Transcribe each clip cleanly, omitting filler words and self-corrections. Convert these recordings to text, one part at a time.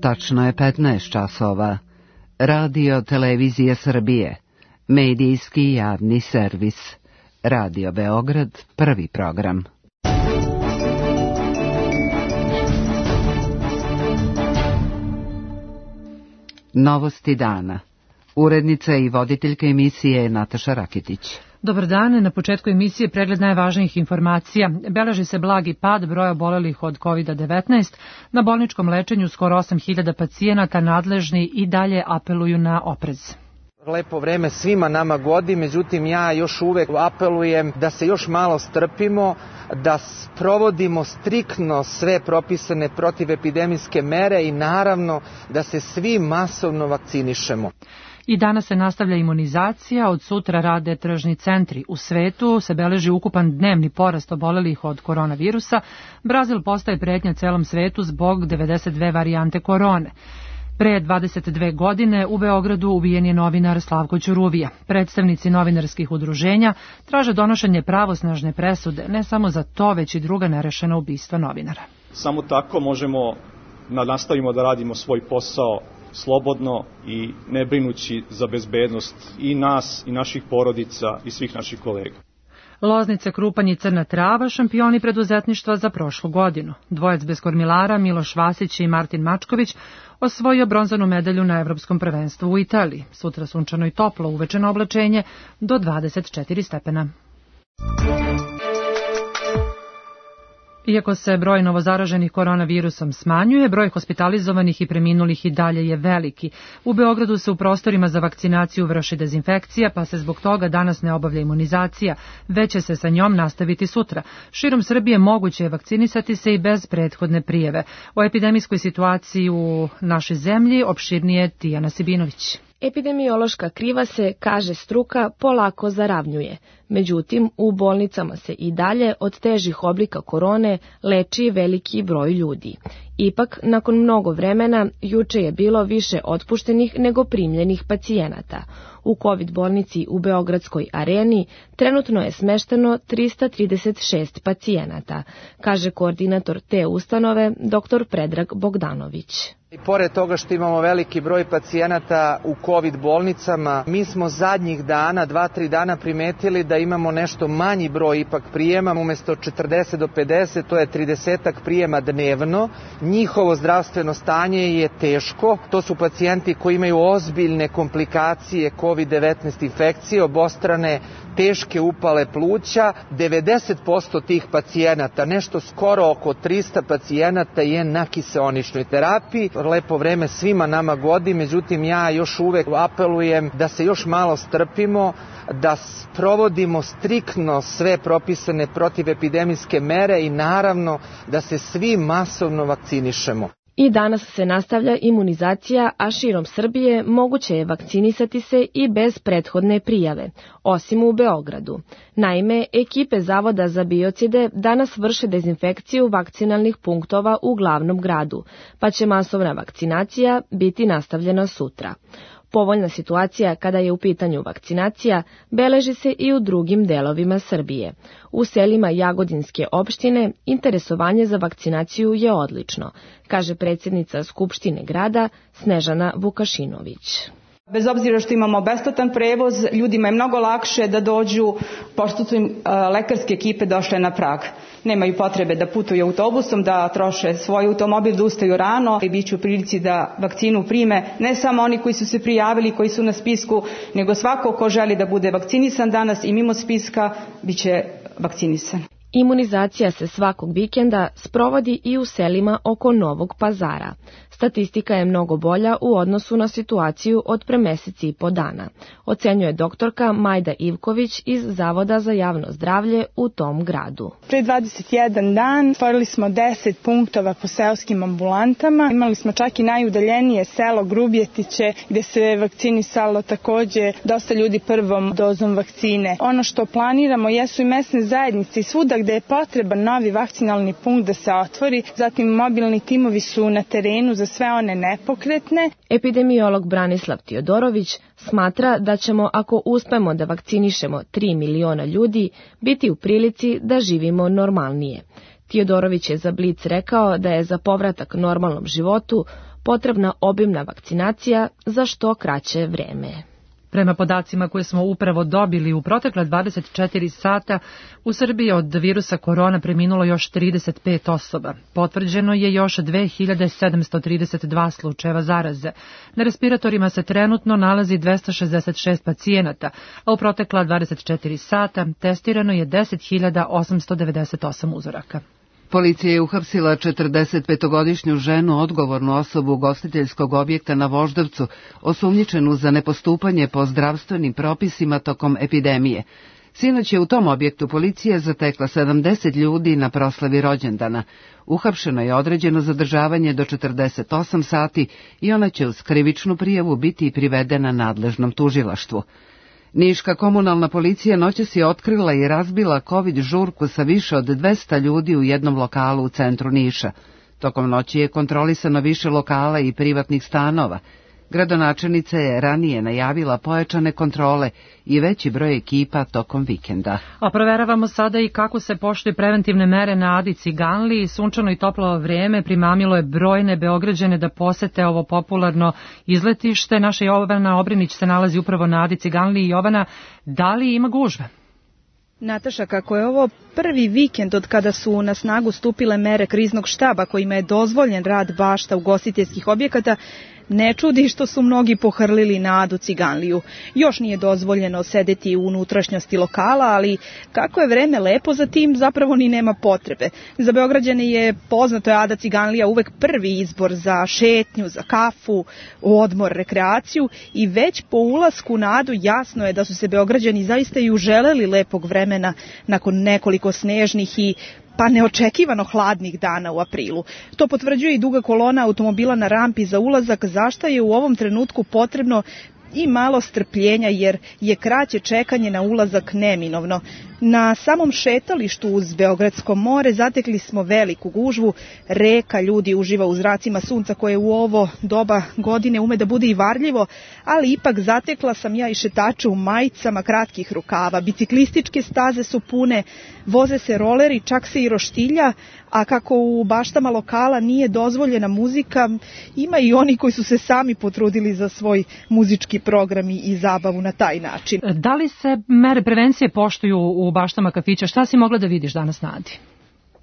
Tačno je 15 časova. Radio Televizija Srbije. Medijski javni servis. Radio Beograd, prvi program. Novosti dana. Urednica i voditeljka emisije Nataša Rakitić. Dobar dan, na početku emisije pregled najvažnijih informacija. Beleži se blagi pad broja obolelih od COVID-19. Na bolničkom lečenju skoro 8.000 pacijenata, nadležni i dalje apeluju na oprez. Lepo vreme svima nama godi, međutim ja još uvek apelujem da se još malo strpimo, da provodimo striktno sve propisane protivepidemijske mere i naravno da se svi masovno vakcinišemo. I danas se nastavlja imunizacija, od sutra rade tržni centri. U svetu se beleži ukupan dnevni porast obolelih od koronavirusa. Brazil postaje pretnja celom svetu zbog 92 varijante korone. Pre 22 godine u Beogradu ubijen je novinar Slavko Ćuruvija. Predstavnici novinarskih udruženja traže donošenje pravosnažne presude, ne samo za to, već i druga nerešena ubistva novinara. Samo tako možemo da nastavimo da radimo svoj posao slobodno i ne brinući za bezbednost i nas i naših porodica i svih naših kolega. Loznica, Krupanj i Crna Trava, šampioni preduzetništva za prošlu godinu. Dvojac bez kormilara, Miloš Vasić i Martin Mačković, osvojio bronzanu medalju na Evropskom prvenstvu u Italiji. Sutra sunčano i toplo, uvečeno oblačenje do 24 stepena. Iako se broj novozaraženih koronavirusom smanjuje, broj hospitalizovanih i preminulih i dalje je veliki. U Beogradu se u prostorima za vakcinaciju vrši dezinfekcija, pa se zbog toga danas ne obavlja imunizacija, već će se sa njom nastaviti sutra. Širom Srbije moguće je vakcinisati se i bez prethodne prijave. O epidemijskoj situaciji u našoj zemlji opširnije Tijana Sibinović. Epidemiološka kriva se, kaže struka, polako zaravnjuje. Međutim, u bolnicama se i dalje od težih oblika korone leči veliki broj ljudi. Ipak, nakon mnogo vremena, juče je bilo više otpuštenih nego primljenih pacijenata. U COVID bolnici u Beogradskoj areni trenutno je smešteno 336 pacijenata, kaže koordinator te ustanove, dr. Predrag Bogdanović. I pored toga što imamo veliki broj pacijenata u COVID bolnicama, mi smo zadnjih dana, 2-3 dana primetili da imamo nešto manji broj ipak prijema, umjesto 40 do 50, to je 30 prijema dnevno. Njihovo zdravstveno stanje je teško, to su pacijenti koji imaju ozbiljne komplikacije COVID-19 infekcije, obostrane teške upale pluća. 90% tih pacijenata, nešto skoro oko 300 pacijenata je na kiseoničnoj terapiji. Lepo vreme svima nama godi, međutim ja još uvek apelujem da se još malo strpimo, da provodimo striktno sve propisane protivepidemijske mere i naravno da se svi masovno vakcinišemo. I danas se nastavlja imunizacija, a širom Srbije moguće je vakcinisati se i bez prethodne prijave, osim u Beogradu. Naime, ekipe Zavoda za biocide danas vrše dezinfekciju vakcinalnih punktova u glavnom gradu, pa će masovna vakcinacija biti nastavljena sutra. Povoljna situacija kada je u pitanju vakcinacija beleži se i u drugim delovima Srbije. U selima Jagodinske opštine interesovanje za vakcinaciju je odlično, kaže predsjednica Skupštine grada Snežana Vukašinović. Bez obzira što imamo besplatan prevoz, ljudima je mnogo lakše da dođu, pošto su im lekarske ekipe došle na prag. Nemaju potrebe da putuju autobusom, da troše svoj automobil, da ustaju rano i bit će u prilici da vakcinu prime ne samo oni koji su se prijavili, koji su na spisku, nego svako ko želi da bude vakcinisan danas i mimo spiska bit će vakcinisan. Imunizacija se svakog vikenda sprovodi i u selima oko Novog Pazara. Statistika je mnogo bolja u odnosu na situaciju od pre meseci i po dana, ocenjuje doktorka Majda Ivković iz Zavoda za javno zdravlje u tom gradu. Pre 21 dan stvorili smo 10 punktova po seoskim ambulantama. Imali smo čak i najudaljenije selo Grubjetiće gde se vakcinisalo takođe dosta ljudi prvom dozom vakcine. Ono što planiramo jesu i mesne zajednice i svuda gde je potreban novi vakcinalni punkt da se otvori. Zatim mobilni timovi su na terenu za sve one nepokretne. Epidemiolog Branislav Tiodorović smatra da ćemo, ako uspemo da vakcinišemo 3 miliona ljudi, biti u prilici da živimo normalnije. Tiodorović je za Blic rekao da je za povratak normalnom životu potrebna obimna vakcinacija za što kraće vreme. Prema podacima koje smo upravo dobili, u protekla 24 sata u Srbiji od virusa korona preminulo još 35 osoba. Potvrđeno je još 2732 slučajeva zaraze. Na respiratorima se trenutno nalazi 266 pacijenata, a u protekla 24 sata testirano je 10.898 uzoraka. Policija je uhapsila 45-godišnju ženu, odgovornu osobu ugostiteljskog objekta na Voždovcu, osumnjičenu za nepostupanje po zdravstvenim propisima tokom epidemije. Sinoć je u tom objektu policija zatekla 70 ljudi na proslavi rođendana. Uhapšeno je određeno zadržavanje do 48 sati i ona će uz krivičnu prijavu biti privedena nadležnom tužilaštvu. Niška komunalna policija noćas je otkrila i razbila COVID žurku sa više od 200 ljudi u jednom lokalu u centru Niša. Tokom noći je kontrolisano više lokala i privatnih stanova. Gradonačelnica je ranije najavila pojačane kontrole i veći broj ekipa tokom vikenda. A proveravamo sada i kako se poštuju preventivne mere na Adi Ciganliji. Sunčano i toplo vrijeme primamilo je brojne Beograđane da posete ovo popularno izletište. Naša Jovana Obrinić se nalazi upravo na Adi Ciganliji. Jovana, da li ima gužve? Nataša, kako je ovo prvi vikend od kada su na snagu stupile mere kriznog štaba kojima je dozvoljen rad bašta ugostiteljskih objekata, ne čudi što su mnogi pohrlili na Adu Ciganliju. Još nije dozvoljeno sedeti u unutrašnjosti lokala, ali kako je vreme lepo za tim, zapravo ni nema potrebe. Za Beograđane je poznato je Ada Ciganlija uvek prvi izbor za šetnju, za kafu, odmor, rekreaciju i već po ulasku na Adu jasno je da su se Beograđani zaista i uželeli lepog vremena nakon nekoliko snežnih i neočekivano hladnih dana u aprilu. To potvrđuje i duga kolona automobila na rampi za ulazak, zašto je u ovom trenutku potrebno i malo strpljenja jer je kraće čekanje na ulazak neminovno. Na samom šetalištu uz Beogradsko more zatekli smo veliku gužvu, reka ljudi uživa u zracima sunca koje u ovo doba godine ume da bude i varljivo, ali ipak zatekla sam ja i šetače u majicama kratkih rukava, biciklističke staze su pune, voze se roleri, čak se i roštilja, a kako u baštama lokala nije dozvoljena muzika, ima i oni koji su se sami potrudili za svoj muzički program i zabavu na taj način. Da li se mere prevencije poštuju u baštama kafića? Šta si mogla da vidiš danas na Adi?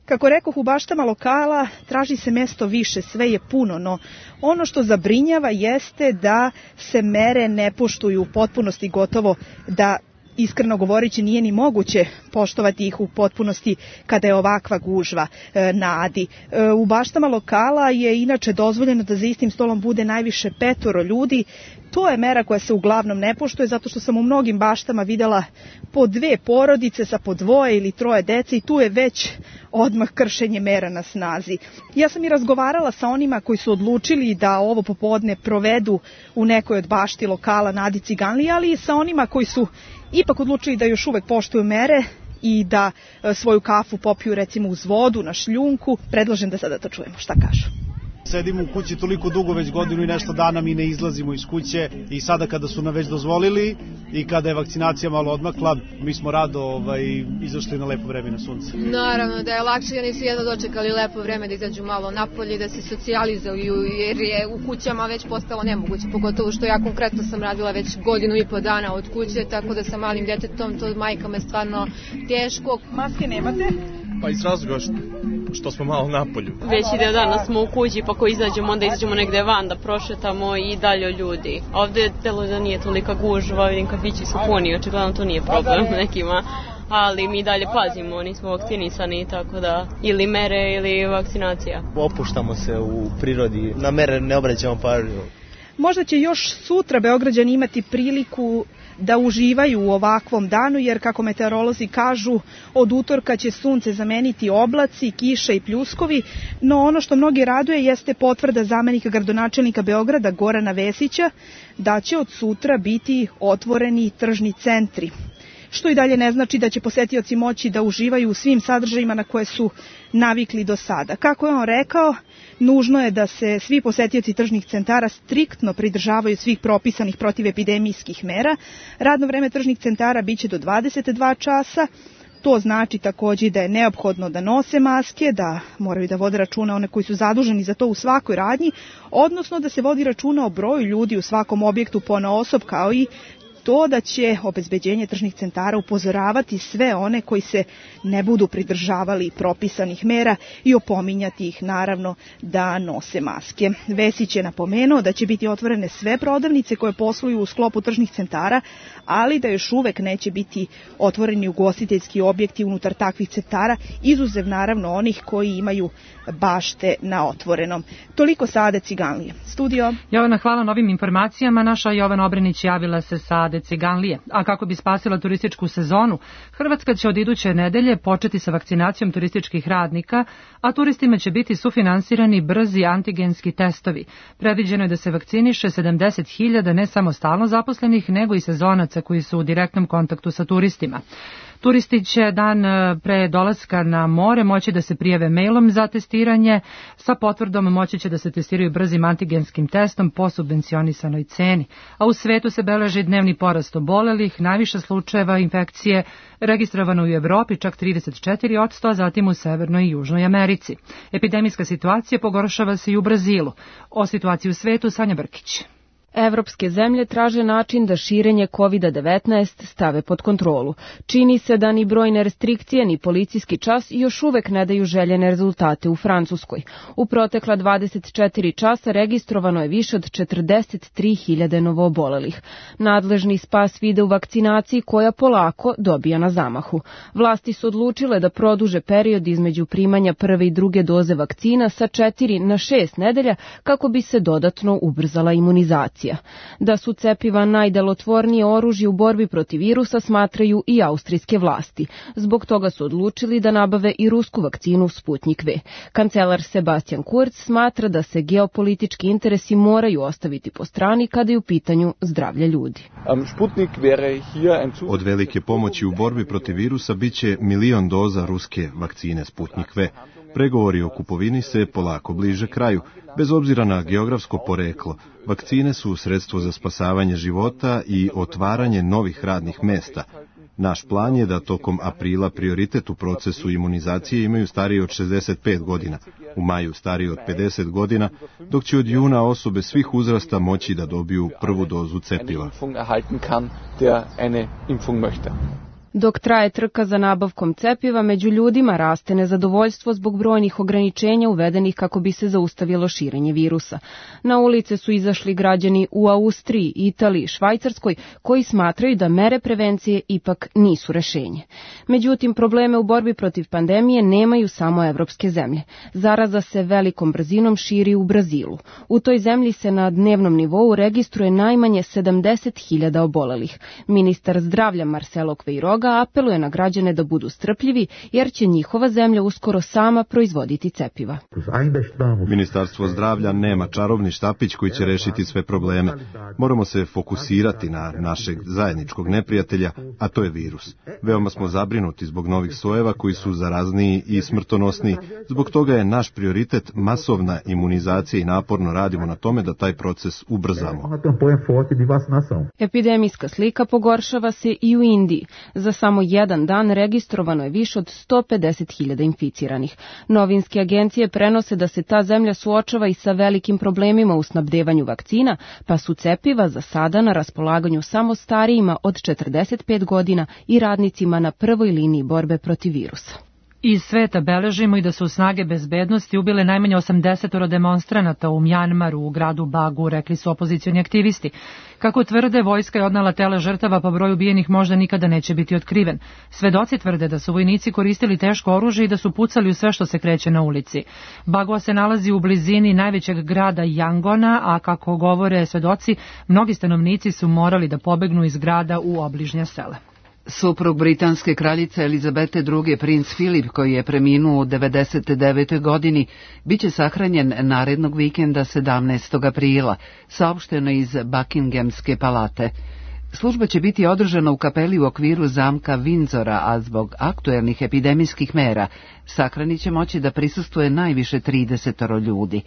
Kako rekoh, u baštama lokala traži se mesto više, sve je puno, no ono što zabrinjava jeste da se mere ne poštuju u potpunosti, gotovo da iskreno govoreći nije ni moguće poštovati ih u potpunosti kada je ovakva gužva na Adi. U baštama lokala je inače dozvoljeno da za istim stolom bude najviše 5 ljudi. To je mera koja se uglavnom ne poštuje zato što sam u mnogim baštama videla po 2 porodice sa po 2 ili 3 dece i tu je već odmah kršenje mera na snazi. Ja sam i razgovarala sa onima koji su odlučili da ovo popodne provedu u nekoj od bašti lokala na Adi Ciganliji, ali i sa onima koji su ipak odlučili da još uvek poštuju mere i da svoju kafu popiju recimo uz vodu na šljunku. Predlažem da sada to čujemo šta kažu. Sedimo u kući toliko dugo, već godinu i nešto dana mi ne izlazimo iz kuće i sada kada su nam već dozvolili i kada je vakcinacija malo odmakla, mi smo rado izašli na lepo vreme na sunce. Naravno da je lakše, oni su jedno dočekali lepo vreme da izađu malo napolje, da se socijalizuju jer je u kućama već postalo nemoguće, pogotovo što ja konkretno sam radila već 1,5 godinu dana od kuće, tako da sa malim detetom to majkama je stvarno teško. Maske nemate? Pa iz razloga što smo malo napolju. Veći deo dana smo u kući, pa ako izađemo, onda izađemo negde van da prošetamo i dalje ljudi. Ovde delo da nije tolika gužva, vidim kafići su puni, očigledno to nije problem nekima, ali mi dalje pazimo, nismo vakcinisani, tako da ili mere ili vakcinacija. Opuštamo se u prirodi, na mere ne obraćamo pažnju. Možda će još sutra Beograđani imati priliku da uživaju u ovakvom danu, jer kako meteorolozi kažu, od utorka će sunce zameniti oblaci, kiša i pljuskovi, no ono što mnogi raduje jeste potvrda zamenika gradonačelnika Beograda Gorana Vesića da će od sutra biti otvoreni tržni centri. Što i dalje ne znači da će posetioci moći da uživaju u svim sadržajima na koje su navikli do sada. Kako je on rekao, nužno je da se svi posetioci tržnih centara striktno pridržavaju svih propisanih protivepidemijskih mera. Radno vreme tržnih centara biće do 22 časa, To znači takođe da je neophodno da nose maske, da moraju da vode računa one koji su zaduženi za to u svakoj radnji, odnosno da se vodi računa o broju ljudi u svakom objektu ponaosob, kao i to da će obezbeđenje tržnih centara upozoravati sve one koji se ne budu pridržavali propisanih mera i opominjati ih naravno da nose maske. Vesić je napomenuo da će biti otvorene sve prodavnice koje posluju u sklopu tržnih centara, ali da još uvek neće biti otvoreni ugostiteljski objekti unutar takvih centara, izuzev naravno onih koji imaju bašte na otvorenom. Toliko sa Ade Ciganlije. Studio. Jovana, hvala na ovim informacijama. Naša Jovana Obrenić javila se sa Ade Ciganlije. A kako bi spasila turističku sezonu, Hrvatska će od iduće nedelje početi sa vakcinacijom turističkih radnika, a turistima će biti sufinansirani brzi antigenski testovi. Predviđeno je da se vakciniše 70.000 ne samo stalno zaposlenih, nego i sezonaca koji su u direktnom kontaktu sa turistima. Turisti će dan pre dolaska na more moći da se prijave mailom za testiranje, sa potvrdom moći će da se testiraju brzim antigenskim testom po subvencionisanoj ceni. A u svetu se beleži dnevni porast obolelih, najviše slučajeva infekcije registrovano u Evropi, čak 34%, a zatim u Severnoj i Južnoj Americi. Epidemijska situacija pogoršava se i u Brazilu. O situaciji u svetu Sanja Brkić. Evropske zemlje traže način da širenje COVID-19 stave pod kontrolu. Čini se da ni brojne restrikcije ni policijski čas još uvek ne daju željene rezultate u Francuskoj. U protekla 24 časa registrovano je više od 43.000 novoobolelih. Nadležni spas vide u vakcinaciji koja polako dobija na zamahu. Vlasti su odlučile da produže period između primanja prve i druge doze vakcina sa 4 na 6 nedelja kako bi se dodatno ubrzala imunizacija. Da su cepiva najdelotvornije oružje u borbi protiv virusa smatraju i austrijske vlasti. Zbog toga su odlučili da nabave i rusku vakcinu Sputnik V. Kancelar Sebastian Kurz smatra da se geopolitički interesi moraju ostaviti po strani kada je u pitanju zdravlje ljudi. Od velike pomoći u borbi protiv virusa biće 1 milion doza ruske vakcine Sputnik V. Pregovori o kupovini se polako bliže kraju. Bez obzira na geografsko poreklo, vakcine su sredstvo za spasavanje života i otvaranje novih radnih mesta. Naš plan je da tokom aprila prioritet u procesu imunizacije imaju stariji od 65 godina, u maju stariji od 50 godina, dok će od juna osobe svih uzrasta moći da dobiju prvu dozu cepiva. Dok traje trka za nabavkom cepiva, među ljudima raste nezadovoljstvo zbog brojnih ograničenja uvedenih kako bi se zaustavilo širenje virusa. Na ulice su izašli građani u Austriji, Italiji, Švajcarskoj, koji smatraju da mere prevencije ipak nisu rešenje. Međutim, probleme u borbi protiv pandemije nemaju samo evropske zemlje. Zaraza se velikom brzinom širi u Brazilu. U toj zemlji se na dnevnom nivou registruje najmanje 70.000 obolelih. Ministar zdravlja Marcelo Queiroga apeluje na građane da budu strpljivi, jer će njihova zemlja uskoro sama proizvoditi cepiva. Ministarstvo zdravlja nema čarobni štapić koji će rešiti sve probleme. Moramo se fokusirati na našeg zajedničkog neprijatelja, a to je virus. Veoma smo zabrinuti zbog novih sojeva koji su zarazniji i smrtonosniji. Zbog toga je naš prioritet masovna imunizacija i naporno radimo na tome da taj proces ubrzamo. Epidemijska slika pogoršava se i u Indiji. Za samo jedan dan registrovano je više od 150.000 inficiranih. Novinske agencije prenose da se ta zemlja suočava i sa velikim problemima u snabdevanju vakcina, pa su cepiva za sada na raspolaganju samo starijima od 45 godina i radnicima na prvoj liniji borbe protiv virusa. Iz sveta beležimo i da su snage bezbednosti ubile najmanje 80 demonstranata u Mjanmaru, u gradu Bagu, rekli su opozicioni aktivisti. Kako tvrde, vojska je odnela tela žrtava, pa broj ubijenih možda nikada neće biti otkriven. Svedoci tvrde da su vojnici koristili teško oružje i da su pucali u sve što se kreće na ulici. Bagua se nalazi u blizini najvećeg grada Yangona, a kako govore svedoci, mnogi stanovnici su morali da pobegnu iz grada u obližnja sela. Suprug britanske kraljice Elizabete II. Princ Filip, koji je preminuo u 99. godini, biće sahranjen narednog vikenda 17. aprila, saopšteno iz Buckinghamske palate. Služba će biti održana u kapeli u okviru zamka Windsora, a zbog aktuelnih epidemijskih mera sahrani će moći da prisustvuje najviše 30 ljudi.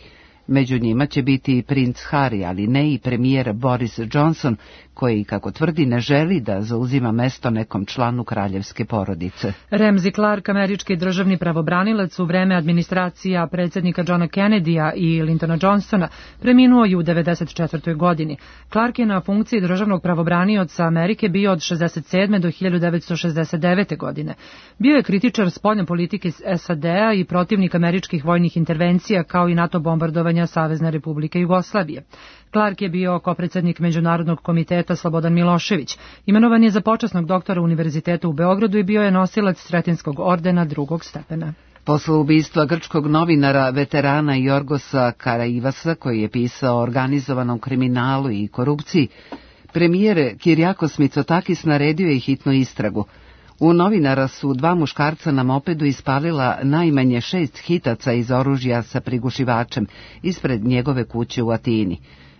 Među njima će biti i princ Harry, ali ne i premijer Boris Johnson, koji, kako tvrdi, ne želi da zauzima mesto nekom članu kraljevske porodice. Ramsey Clark, američki državni pravobranilac u vreme administracija predsjednika Johna Kennedya i Lyndona Johnsona, preminuo je u 1994. godini. Clark je na funkciji državnog pravobranioca Amerike bio od 1967. do 1969. godine. Bio je kritičar spoljne politike SAD-a i protivnik američkih vojnih intervencija, kao i NATO bombardovanja Savezne Republike Jugoslavije. Clark je bio kopredsednik Međunarodnog komiteta Slobodan Milošević. Imenovan je za počasnog doktora Univerziteta u Beogradu i bio je nosilac Sretenskog ordena drugog stepena. Posle ubistva grčkog novinara, veterana Jorgosa Karaivasa, koji je pisao o organizovanom kriminalu i korupciji, premijer Kyriakos Mitsotakis naredio je hitnu istragu. U novinara su dva muškarca na mopedu ispalila najmanje 6 hitaca iz oružja sa prigušivačem ispred njegove kuće u Atini.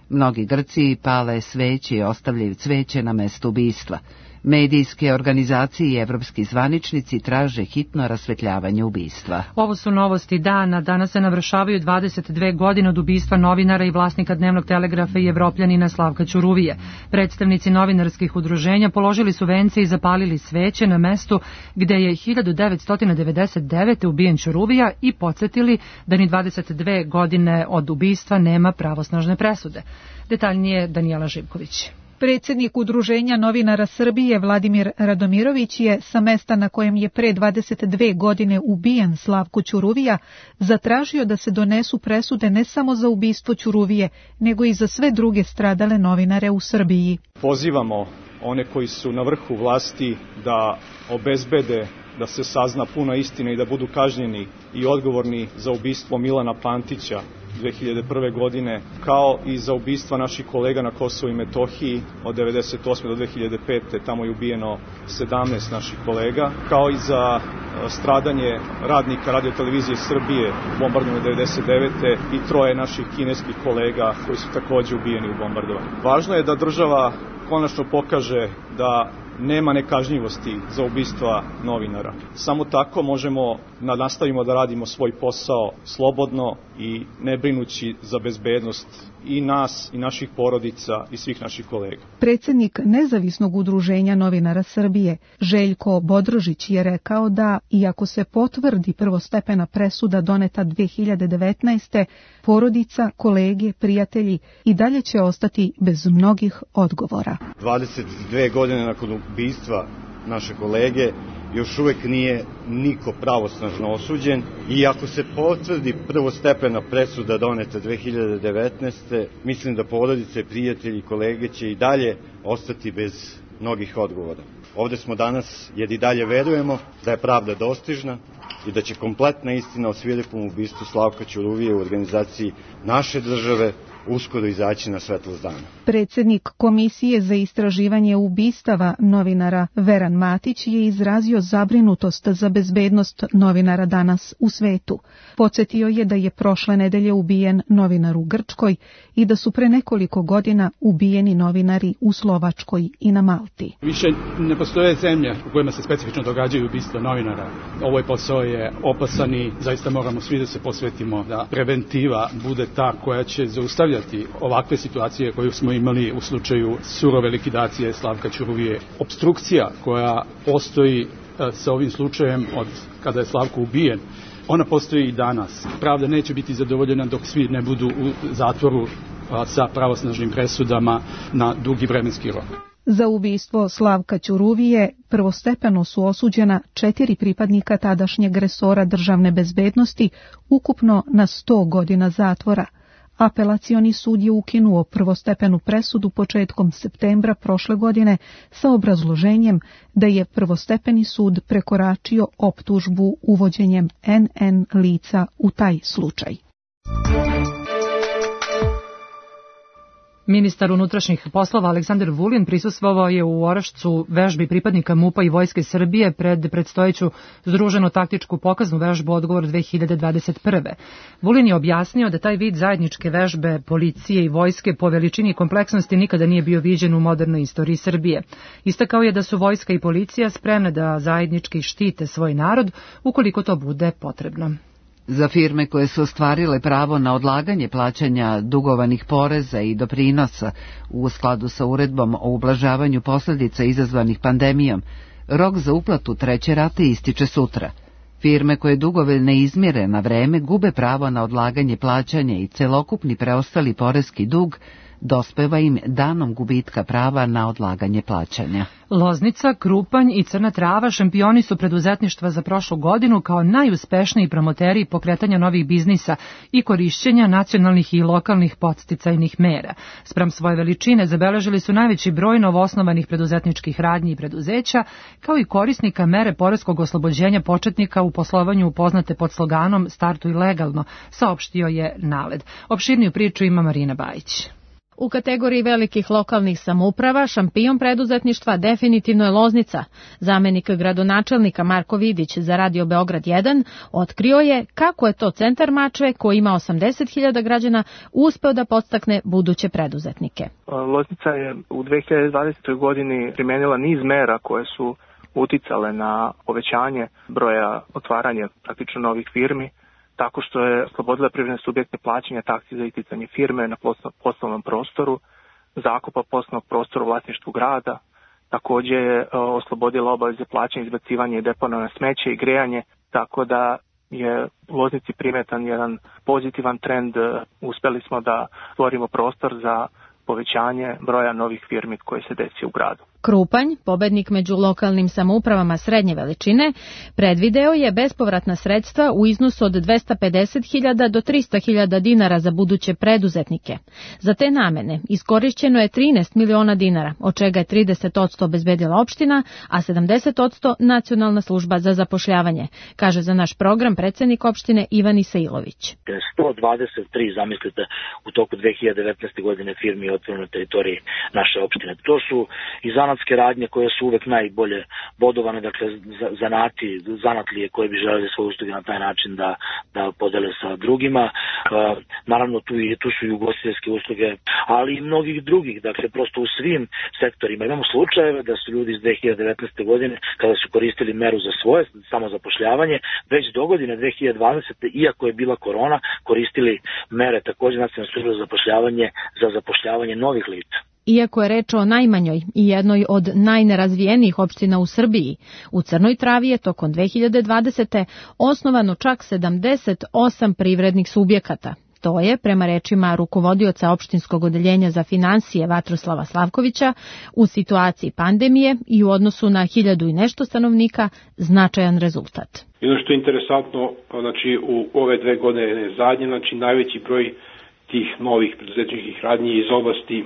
Mnogi Grci pale sveće i ostavljaju cveće na mestu ubistva. Medijske organizacije i evropski zvaničnici traže hitno rasvetljavanje ubistva. Ovo su novosti dana. Danas se navršavaju 22 godine od ubistva novinara i vlasnika Dnevnog telegrafa i Evropljanina Slavka Ćuruvije. Predstavnici novinarskih udruženja položili su vence i zapalili sveće na mestu gde je 1999. ubijen Ćuruvija i podsjetili da ni 22 godine od ubistva nema pravosnažne presude. Detaljnije Danijela Živković. Predsjednik Udruženja novinara Srbije Vladimir Radomirović je sa mesta na kojem je pre 22 godine ubijen Slavko Ćuruvija zatražio da se donesu presude ne samo za ubistvo Ćuruvije, nego i za sve druge stradale novinare u Srbiji. Pozivamo one koji su na vrhu vlasti da obezbede da se sazna puna istina i da budu kažnjeni i odgovorni za ubistvo Milana Pantića 2001. godine, kao i za ubistva naših kolega na Kosovu i Metohiji od 1998. do 2005. Tamo je ubijeno 17 naših kolega, kao i za stradanje radnika radiotelevizije Srbije u bombardovanju 1999. i 3 naših kineskih kolega koji su takođe ubijeni u bombardovanju. Važno je da država konačno pokaže da nema nekažnjivosti za ubistva novinara. Samo tako možemo da nastavimo da radimo svoj posao slobodno i ne brinući za bezbednost i nas i naših porodica i svih naših kolega. Predsjednik Nezavisnog udruženja novinara Srbije Željko Bodrožić je rekao da, iako se potvrdi prvostepena presuda doneta 2019. porodica, kolege, prijatelji i dalje će ostati bez mnogih odgovora. 22 godine nakon ubistva naše kolege još uvek nije niko pravosnažno osuđen i ako se potvrdi prvostepena presuda doneta 2019. mislim da porodice, prijatelji i kolege će i dalje ostati bez mnogih odgovora. Ovde smo danas jer i dalje verujemo da je pravda dostižna i da će kompletna istina o svirepom ubistvu Slavka Ćuruvije u organizaciji naše države uskoro izaći na svetlost dana. Predsjednik Komisije za istraživanje ubistava novinara Veran Matić je izrazio zabrinutost za bezbednost novinara danas u svetu. Podsjetio je da je prošle nedelje ubijen novinar u Grčkoj i da su pre nekoliko godina ubijeni novinari u Slovačkoj i na Malti. Više ne postoje zemlje u kojima se specifično događaju ubistva novinara. Ovaj posao je opasan i zaista moramo svi da se posvetimo da preventiva bude ta koja će zaustavljati ovakve situacije koju smo imali u slučaju surove likvidacije Slavka Ćuruvije. Opstrukcija koja postoji sa ovim slučajem od kada je Slavko ubijen, ona postoji i danas. Pravda neće biti zadovoljena dok svi ne budu u zatvoru sa pravosnažnim presudama na dugi vremenski rok. Za ubistvo Slavka Ćuruvije prvostepeno su osuđena 4 pripadnika tadašnjeg resora državne bezbednosti, ukupno na 100 godina zatvora. Apelacioni sud je ukinuo prvostepenu presudu početkom septembra prošle godine sa obrazloženjem da je prvostepeni sud prekoračio optužbu uvođenjem NN lica u taj slučaj. Ministar unutrašnjih poslova Aleksandar Vulin prisustvovao je u Orašcu vežbi pripadnika MUP-a i Vojske Srbije pred predstojeću združenu taktičku pokaznu vežbu Odgovor 2021. Vulin je objasnio da taj vid zajedničke vežbe policije i vojske po veličini i kompleksnosti nikada nije bio viđen u modernoj istoriji Srbije. Istakao je da su vojska i policija spremne da zajednički štite svoj narod ukoliko to bude potrebno. Za firme koje su ostvarile pravo na odlaganje plaćanja dugovanih poreza i doprinosa u skladu sa uredbom o ublažavanju posljedica izazvanih pandemijom, rok za uplatu treće rate ističe sutra. Firme koje dugove ne izmire na vreme gube pravo na odlaganje plaćanja i celokupni preostali poreski dug dospeva im danom gubitka prava na odlaganje plaćanja. Loznica, Krupanj i Crna Trava šampioni su preduzetništva za prošlu godinu kao najuspešniji promoteri pokretanja novih biznisa i korišćenja nacionalnih i lokalnih podsticajnih mera. Spram svoje veličine zabeležili su najveći broj novoosnovanih preduzetničkih radnji i preduzeća, kao i korisnika mere poreskog oslobođenja početnika u poslovanju poznate pod sloganom Startuj legalno, saopštio je NALED. Opširniju priču ima Marina Bajić. U kategoriji velikih lokalnih samouprava šampion preduzetništva definitivno je Loznica. Zamenik gradonačelnika Marko Vidić za Radio Beograd 1 otkrio je kako je to centar Mačve, koji ima 80.000 građana, uspeo da podstakne buduće preduzetnike. Loznica je u 2020. godini primenila niz mera koje su uticale na povećanje broja otvaranja praktično novih firmi, tako što je oslobodila privredne subjekte plaćanja taksi za isticanje firme na poslovnom prostoru, zakupa poslovnog prostora u vlasništvu grada, također je oslobodila obaveze plaćanja, izbacivanja i deponovanja smeća i grejanje, tako da je u Loznici primetan jedan pozitivan trend. Uspeli smo da stvorimo prostor za povećanje broja novih firmi koje se desi u gradu. Krupanj, pobednik među lokalnim samoupravama srednje veličine, predvideo je bespovratna sredstva u iznosu od 250.000 do 300.000 dinara za buduće preduzetnike. Za te namene iskorišćeno je 13 miliona dinara, od čega je 30% obezbedila opština, a 70% Nacionalna služba za zapošljavanje, kaže za naš program predsednik opštine Ivan Isailović. 123, zamislite, u toku 2019. godine firmi otvoreno na teritoriji naše opštine. To su i zanatske radnje koje su uvek najbolje bodovane, dakle zanatlije koje bi želeli svoje usluge na taj način da podele sa drugima. Naravno tu su i ugostiteljske usluge, ali i mnogih drugih, dakle prosto u svim sektorima. Imamo slučajeve da su ljudi iz 2019. godine, kada su koristili meru za svoje samozapošljavanje, već do godine 2020. iako je bila korona, koristili mere također Nacionalne službe za zapošljavanje za zapošljavanje novih lica. Iako je reč o najmanjoj i jednoj od najnerazvijenijih opština u Srbiji, u Crnoj Travi je tokom 2020. osnovano čak 78 privrednih subjekata. To je, prema rečima rukovodioca opštinskog odeljenja za finansije Vatroslava Slavkovića, u situaciji pandemije i u odnosu na 1000 i nešto stanovnika značajan rezultat. I ono što je interesantno, znači u ove 2 godine zadnje, znači najveći broj tih novih preduzetničkih radnji iz oblasti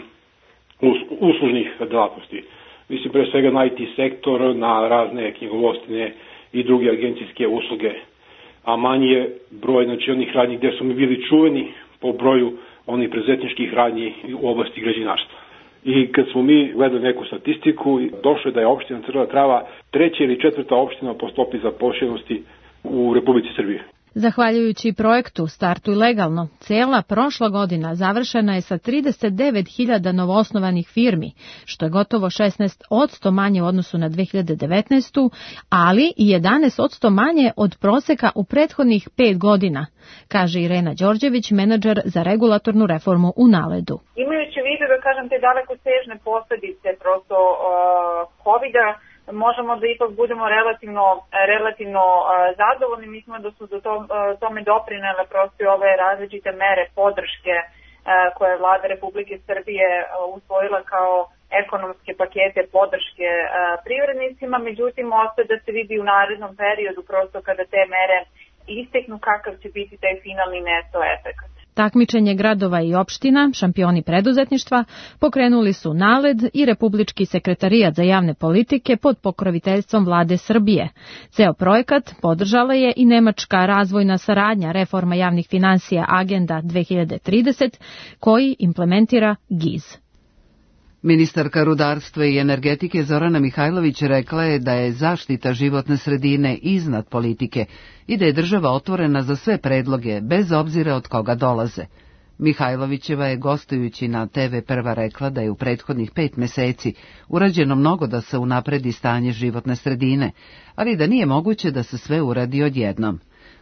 uslužnih delatnosti. Mislim pre svega na IT sektor, na razne knjigovodstvene i druge agencijske usluge, a manji je broj znači onih radnji gdje su mi bili čuveni po broju onih preduzetničkih radnji u oblasti građevinarstva. I kad smo mi gledali neku statistiku, došlo je da je opština Crna Trava 3. ili 4. opština po stopi zaposlenosti u Republici Srbije. Zahvaljujući projektu Startuj legalno, cela prošla godina završena je sa 39.000 novoosnovanih firmi, što je gotovo 16% manje u odnosu na 2019. ali i 11% manje od proseka u prethodnih 5 godina, kaže Irena Đorđević, menadžer za regulatornu reformu u NALED-u. Imajući u vidu, da kažem, te dalekosežne posljedice prosto COVID-a, možemo da ipak budemo relativno zadovoljni. Mislimo da su do tome doprinele prosto ove različite mere podrške koje je Vlada Republike Srbije usvojila kao ekonomske pakete podrške privrednicima. Međutim, ostaje da se vidi u narednom periodu prosto kada te mere isteknu kakav će biti taj finalni neto efekat. Takmičenje gradova i opština, šampioni preduzetništva, pokrenuli su NALED i Republički sekretarijat za javne politike pod pokroviteljstvom Vlade Srbije. Ceo projekat podržala je i Nemačka razvojna saradnja reforma javnih finansija Agenda 2030, koji implementira GIZ. Ministarka rudarstva i energetike Zorana Mihajlović rekla je da je zaštita životne sredine iznad politike i da je država otvorena za sve predloge, bez obzira od koga dolaze. Mihajlovićeva je gostujući na TV Prva rekla da je u prethodnih 5 meseci urađeno mnogo da se unapredi stanje životne sredine, ali da nije moguće da se sve uradi odjednom.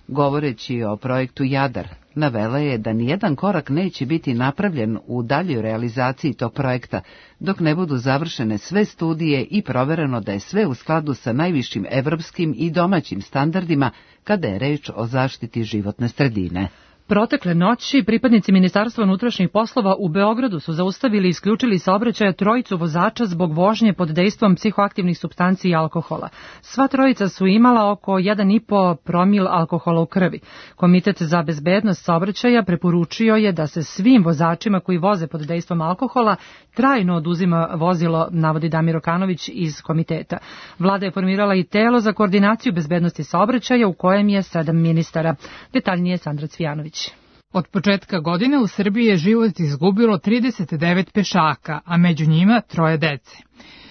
Govoreći o projektu Jadar, navela je da nijedan korak neće biti napravljen u daljoj realizaciji tog projekta, dok ne budu završene sve studije i provereno da je sve u skladu sa najvišim evropskim i domaćim standardima kada je reč o zaštiti životne sredine. Protekle noći pripadnici Ministarstva unutrašnjih poslova u Beogradu su zaustavili i isključili saobraćaja trojicu vozača zbog vožnje pod dejstvom psihoaktivnih supstanci i alkohola. Sva trojica su imala oko 1,5 promil alkohola u krvi. Komitet za bezbednost saobraćaja preporučio je da se svim vozačima koji voze pod dejstvom alkohola trajno oduzima vozilo, navodi Damir Okanović iz komiteta. Vlada je formirala i telo za koordinaciju bezbednosti saobraćaja u kojem je 7 ministara. Detaljnije Sandra Cvijanović. Od početka godine u Srbiji je život izgubilo 39 pešaka, a među njima 3 dece.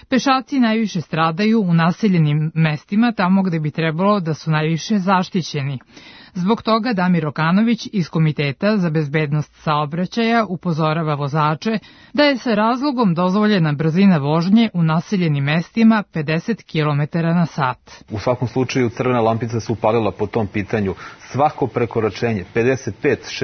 Pešaci najviše stradaju u naseljenim mestima, tamo gde bi trebalo da su najviše zaštićeni. Zbog toga Damir Okanović iz Komiteta za bezbednost saobraćaja upozorava vozače da je sa razlogom dozvoljena brzina vožnje u naseljenim mestima 50 km na sat. U svakom slučaju crvena lampica se upalila po tom pitanju. Svako prekoračenje, 55,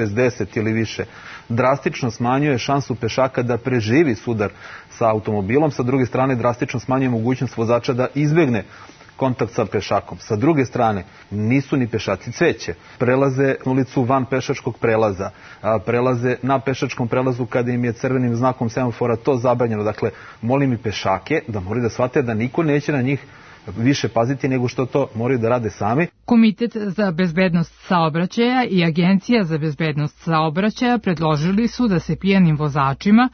60 ili više, drastično smanjuje šansu pešaka da preživi sudar sa automobilom, sa druge strane drastično smanjuje mogućnost vozača da izbegne kontakt sa pešakom. Sa druge strane, nisu ni pešaci cveće. Prelaze ulicu van pešačkog prelaza, prelaze na pešačkom prelazu kada im je crvenim znakom semafora to zabranjeno. Dakle, molim i pešake da moraju da shvate da niko neće na njih više paziti nego što to moraju da rade sami. Komitet za bezbednost saobraćaja i Agencija za bezbednost saobraćaja predložili su da se pijanim vozačima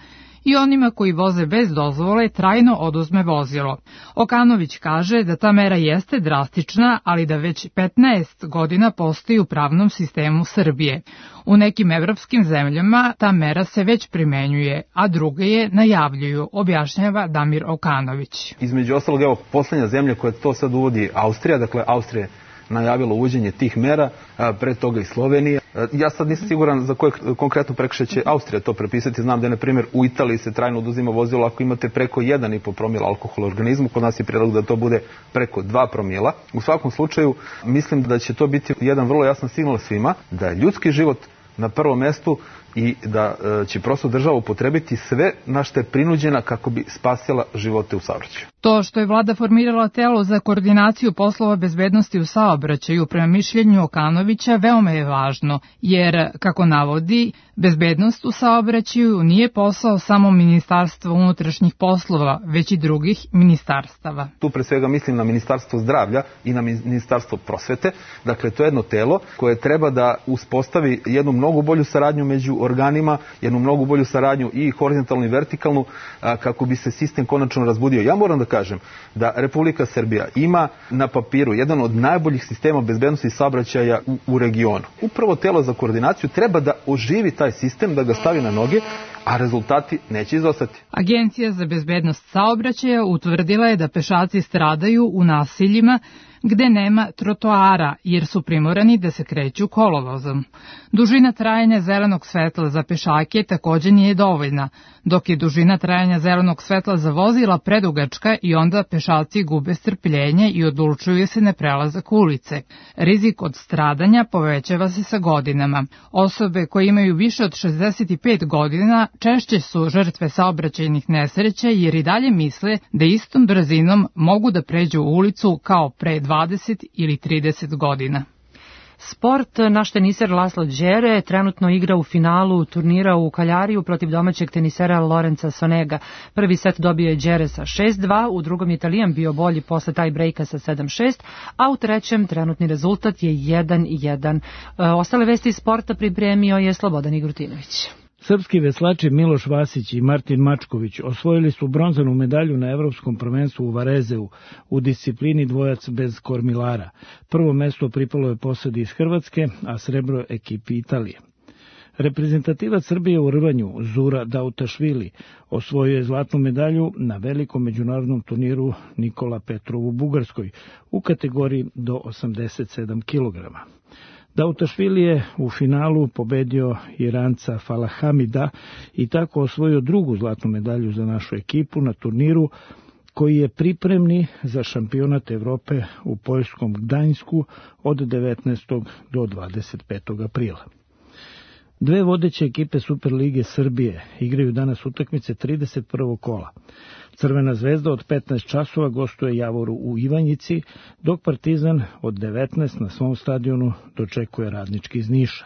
i onima koji voze bez dozvole trajno oduzme vozilo. Okanović kaže da ta mera jeste drastična, ali da već 15 godina postoji u pravnom sistemu Srbije. U nekim evropskim zemljama ta mera se već primenjuje, a druge je najavljuju, objašnjava Damir Okanović. Između ostalog, evo, poslednja zemlja koja to sad uvodi Austrija, dakle Austrija je najavilo uvođenje tih mera, pre toga i Slovenija. Ja sad nisam siguran za koje konkretno prekršaj će Austrija to prepisati. Znam da je, na primjer, u Italiji se trajno oduzima vozilo ako imate preko 1,5 promila alkohola u organizmu. Kod nas je predlog da to bude preko 2 promila. U svakom slučaju, mislim da će to biti jedan vrlo jasan signal svima da je ljudski život na prvom mestu i da će prosto država upotrebiti sve na što je prinuđena kako bi spasila živote u saobraćaju. To što je vlada formirala telo za koordinaciju poslova bezbednosti u saobraćaju prema mišljenju Okanovića veoma je važno, jer, kako navodi, bezbednost u saobraćaju nije posao samo Ministarstva unutrašnjih poslova, već i drugih ministarstava. Tu pre svega mislim na Ministarstvo zdravlja i na Ministarstvo prosvete. Dakle, to je jedno telo koje treba da uspostavi jednu mnogo bolju saradnju među organima, jednu mnogo bolju saradnju i horizontalnu i vertikalnu, kako bi se sistem konačno razbudio. Ja moram da kažem da Republika Srbija ima na papiru jedan od najboljih sistema bezbednosti saobraćaja u regionu. Upravo telo za koordinaciju treba da oživi taj sistem, da ga stavi na noge, a rezultati neće izostati. Agencija za bezbednost saobraćaja utvrdila je da pešaci stradaju u naseljima gde nema trotoara, jer su primorani da se kreću kolovozom. Dužina trajanja zelenog svetla za pešake takođe nije dovoljna, dok je dužina trajanja zelenog svetla za vozila predugačka i onda pešaci gube strpljenje i odlučuju se na prelazak ulice. Rizik od stradanja povećava se sa godinama. Osobe koje imaju više od 65 godina češće su žrtve saobraćajnih nesreća jer i dalje misle da istom brzinom mogu da pređu ulicu kao pre 20 ili 30 godina. Sport, naš teniser Laslo Đere trenutno igra u finalu turnira u Kaljariju protiv domaćeg tenisera Lorenza Sonega. Prvi set dobio je Đere sa 6-2, u drugom je Italijan bio bolji posle taj brejka sa 7-6, a u trećem trenutni rezultat je 1-1. Ostale vesti iz sporta pripremio je Slobodan Igrutinović. Srpski veslači Miloš Vasić i Martin Mačković osvojili su bronzanu medalju na Evropskom prvenstvu u Varezeu u disciplini dvojac bez kormilara. Prvo mesto pripalo je posadi iz Hrvatske, a srebro ekipi Italije. Reprezentativac Srbije u rvanju Zura Dautašvili osvojio je zlatnu medalju na velikom međunarodnom turniru Nikola Petrov u Bugarskoj u kategoriji do 87 kg. Dautašvili je u finalu pobedio Iranca Falahamida i tako osvojio drugu zlatnu medalju za našu ekipu na turniru koji je pripremni za šampionat Evrope u poljskom Gdańsku od 19. do 25. aprila. Dve vodeće ekipe Superlige Srbije igraju danas utakmice 31. kola. Crvena zvezda od 15 časova gostuje Javoru u Ivanjici, dok Partizan od 19 na svom stadionu dočekuje Radnički iz Niša.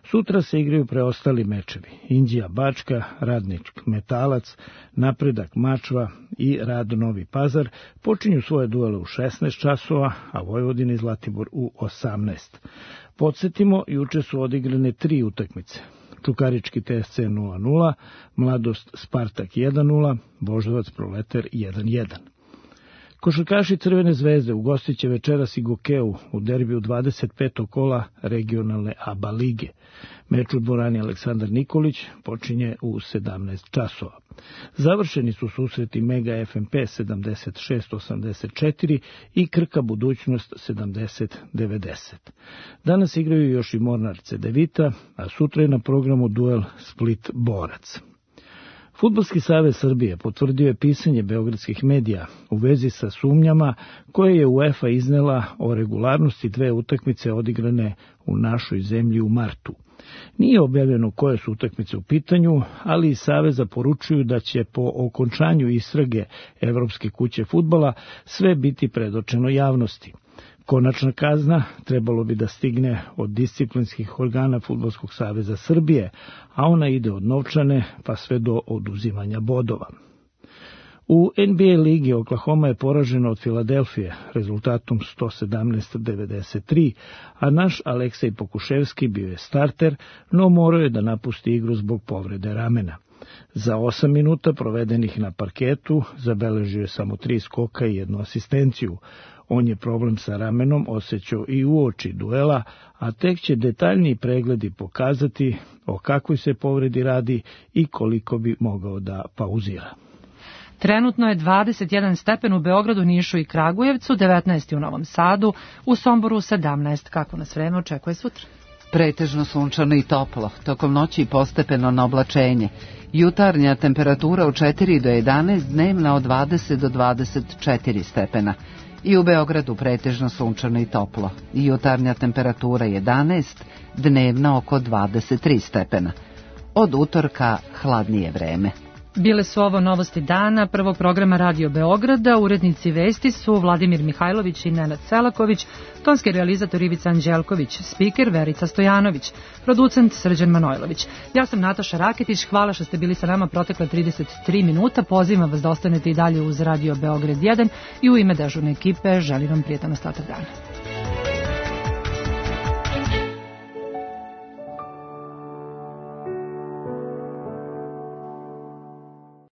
Sutra se igraju preostali mečevi. Inđija Bačka, Radnički Metalac, Napredak Mačva i Rad Novi Pazar počinju svoje duele u 16 časova, a Vojvodina i Zlatibor u 18. Podsjetimo, juče su odigrane 3 utakmice. Čukarički TSC 0-0, Mladost Spartak 1-0, Voždovac Proletar 1-1. Košarkaši Crvene zvezde ugostit će večeras i Gokeu u derbiju 25. kola regionalne ABA lige. Meč u dvorani Aleksandar Nikolić počinje u 17 časova. Završeni su susreti Mega FNP 76-84 i Krka Budućnost 70-90. Danas igraju još i Mornar Cedevita, a sutra je na programu duel Split-Borac. Fudbalski savez Srbije potvrdio je pisanje beogradskih medija u vezi sa sumnjama koje je UEFA iznela o regularnosti 2 utakmice odigrane u našoj zemlji u martu. Nije objavljeno koje su utakmice u pitanju, ali iz saveza poručuju da će po okončanju istrage Evropske kuće fudbala sve biti predočeno javnosti. Konačna kazna trebalo bi da stigne od disciplinskih organa Fudbalskog saveza Srbije, a ona ide od novčane pa sve do oduzimanja bodova. U NBA ligi Oklahoma je poražena od Filadelfije rezultatom 117-93, a naš Aleksej Pokuševski bio je starter, no morao je da napusti igru zbog povrede ramena. Za 8 minuta provedenih na parketu zabeležio je samo 3 skoka i 1 asistenciju. On je problem sa ramenom osjećao i uoči duela, a tek će detaljniji pregledi pokazati o kakvoj se povredi radi i koliko bi mogao da pauzira. Trenutno je 21 stepen u Beogradu, Nišu i Kragujevcu, 19 u Novom Sadu, u Somboru 17. Kako nas vreme očekuje sutra? Pretežno sunčano i toplo, tokom noći postepeno na oblačenje. Jutarnja temperatura od 4 do 11, dnevna od 20 do 24 stepena. I u Beogradu pretežno sunčano i toplo. Jutarnja temperatura 11, dnevna oko 23 stepena. Od utorka hladnije vreme. Bile su ovo novosti dana prvog programa Radio Beograda. Urednici vesti su Vladimir Mihajlović i Nenad Selaković, tonski realizator Ivica Anđelković, spiker Verica Stojanović, producent Srđan Manojlović. Ja sam Nataša Raketić, hvala što ste bili sa nama protekle 33 minuta. Pozivam vas da ostanete i dalje uz Radio Beograd 1 i u ime dežurne ekipe želim vam prijetan ostatak dana.